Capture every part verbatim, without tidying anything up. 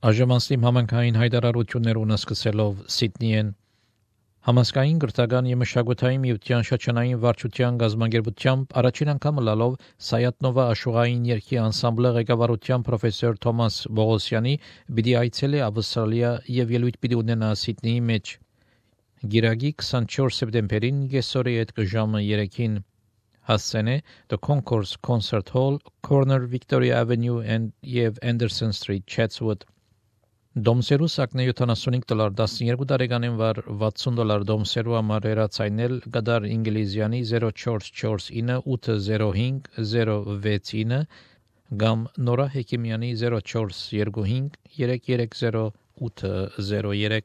Այժմ համանքային հայտարարություններուն սկսելով Սիդնի են Համասկային գրթական եւ մշակութային միության շրջանային վարչության գազագերբությամբ առաջին անգամ լալով Սայատնովա աշխուղային երգի անսամբլը ղեկավարության պրոֆեսոր Թոմաս Բողոսյանի պիտի այցելի Ավստրալիա եւ ելույթ պիտի ունենա Սիդնեի մեջ Գիրագի քսանչորս սեպտեմբերին գեսորի այդ ժամը երեքին հասցենե The Concourse Concert Hall, Corner Victoria Avenue and եւ Anderson Street, Chatswood Դոմսերու սակնե յոթանասունհինգ դոլար տասնյոթ տարեկանին վար վաթսուն դոլար դոմսերու համար երացայնել գդար ինգլիզյանի zero four four nine eight zero five zero six nine կամ նորա հեկիմյանի zero four two five three three zero eight zero three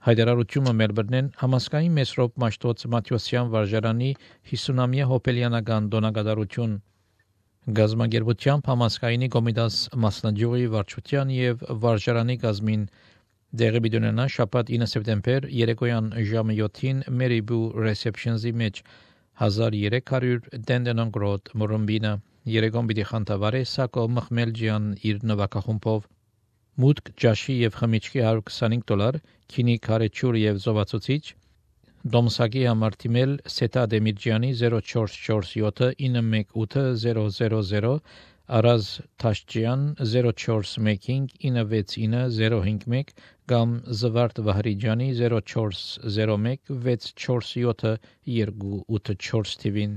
Հայդարարությունը Մելբուրնեն համասկային Մեսրոպ Մաշտոց Մաթյոսյան վարժարանի հիսունամյա հոպելյանական դոնագադարություն Գազագերբությամբ համասկայինի կոմիտաս մասնաճյուղի վարչության եւ վարժարանի գազմին դեղի բիդոնանա շաբաթ ինը սեպտեմբեր երեկոյան ժամը յոթին Meriboo Receptions-ի մեջ one thousand three hundred Dandenong Road Մորոմբինա երեկոն պիտի խանդավառե Սակո Մխմելջյան իր նվագախումբով մուտք ջաշի եւ խմիչքի one hundred twenty-five դոլար քինի քարեչուր եւ զովացուցիչ Դոմսակի համար թիմել Սետա Դեմիրջյանի zero four four seven nine one eight zero zero zero Արազ Թաշջյան zero four one five nine six nine zero five one կամ Զվարթ Վահրիջյանի zero four zero one six four seven two eight four թիվին